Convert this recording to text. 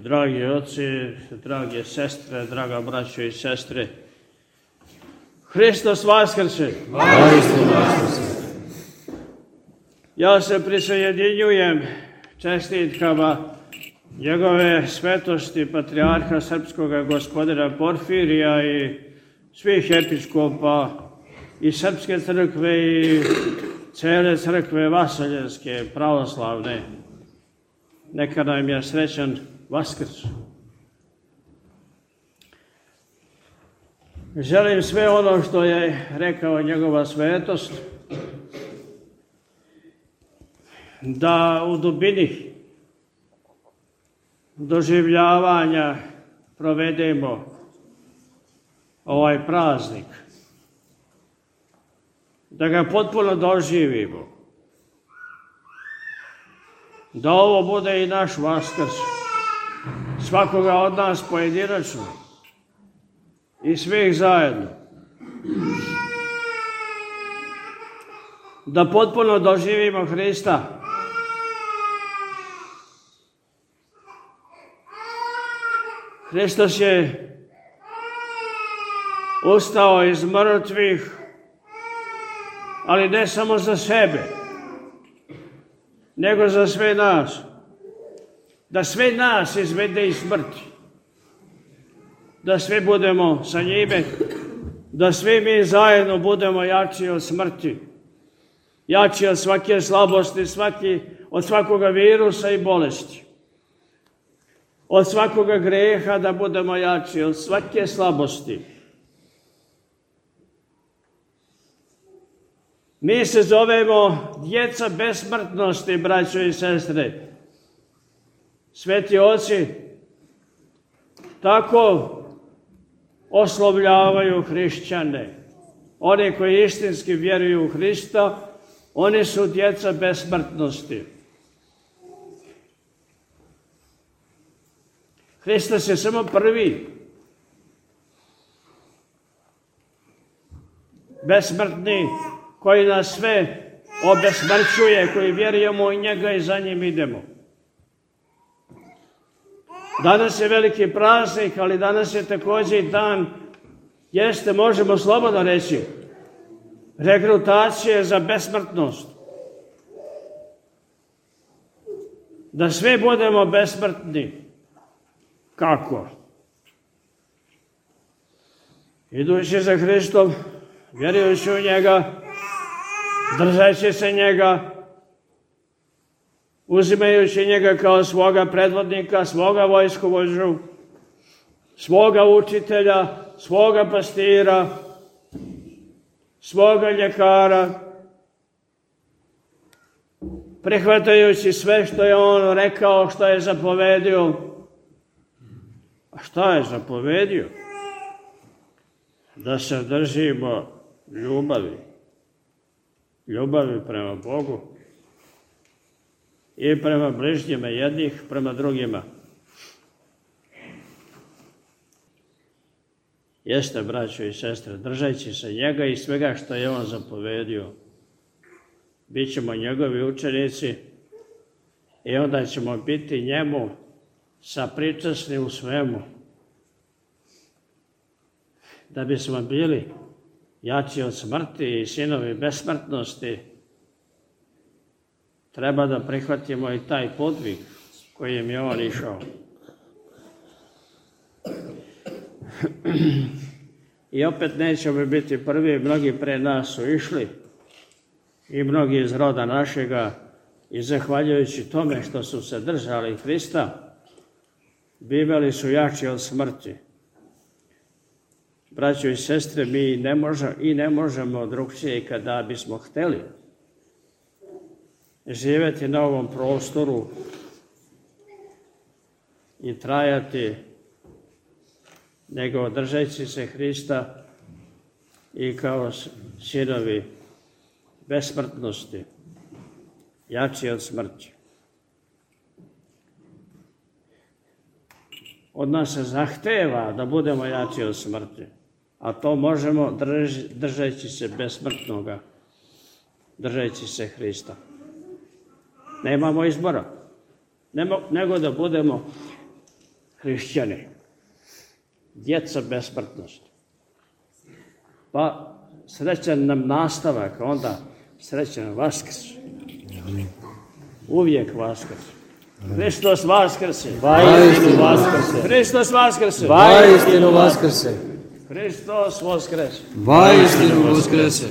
Dragi oci, drage sestre, draga braćo i sestre, Hristos vaskrse! Ja se prisjedinjujem čestitkama njegove svetosti patrijarha srpskoga gospodina Porfirija i svih episkopa i srpske crkve i cele crkve vaseljenske, pravoslavne. Neka nam je srećan Vaskrs. Želim sve ono što je rekao njegova svetost da u dubini doživljavanja provedemo ovaj praznik, da ga potpuno doživimo, da ovo bude i naš Vaskrs, svakoga od nas pojedinačno i svih zajedno. Da potpuno doživimo Hrista. Hristos je ustao iz mrtvih, ali ne samo za sebe, nego za sve nas. Da sve nas izvede iz smrti. Da svi budemo sa njime, da svi mi zajedno budemo jači od smrti, jači od svake slabosti, od svakoga virusa i bolesti, od svakoga greha, da budemo jači od svake slabosti. Mi se zovemo djeca besmrtnosti, braćo i sestre. Sveti oci tako oslovljavaju hrišćane. Oni koji istinski vjeruju u Hrista, oni su djeca besmrtnosti. Hristos je samo prvi besmrtni koji nas sve obesmrćuje, koji vjerujemo u njega i za njim idemo. Danas je veliki praznik, ali danas je također i dan, možemo slobodno reći, regrutacije za besmrtnost. Da svi budemo besmrtni. Kako? Idući za Hristom, vjerujući u njega, držeći se njega, uzimajući njega kao svoga predvodnika, svoga vojskovođu, svoga učitelja, svoga pastira, svoga ljekara, prihvatajući sve što je on rekao, što je zapovedio. A šta je zapovedio? Da se držimo ljubavi prema Bogu i prema bližnjima, jednih prema drugima. Jeste, braćo i sestre, držeći se njega i svega što je on zapovedio, bit ćemo njegovi učenici i onda ćemo biti njemu sapričasni u svemu. Da bismo bili jači od smrti i sinovi besmrtnosti, treba da prihvatimo i taj podvig kojim je on išao. I opet nećemo biti prvi, mnogi pre nas su išli i mnogi iz roda našega i zahvaljujući tome što su se držali Hrista, bivali su jači od smrti. Braćo i sestre, mi ne možemo drugčije kada bismo hteli živjeti na ovom prostoru i trajati, nego držeći se Hrista i kao sinovi besmrtnosti, jači od smrti. Od nas se zahteva da budemo jači od smrti, a to možemo držeći se besmrtnoga, držeći se Hrista. Nemamo izbora, nego da budemo hrišćani. Djeca besmrtnost. Pa srećan nam nastavak, onda srećan Vaskrs. Uvijek Vaskrs. Hristos Vaskrse. Vaistinu Vaskrse. Hristos Vaskrse. Vaistinu Vaskrse. Hristos Vaskrse. Vaistinu Vaskrse.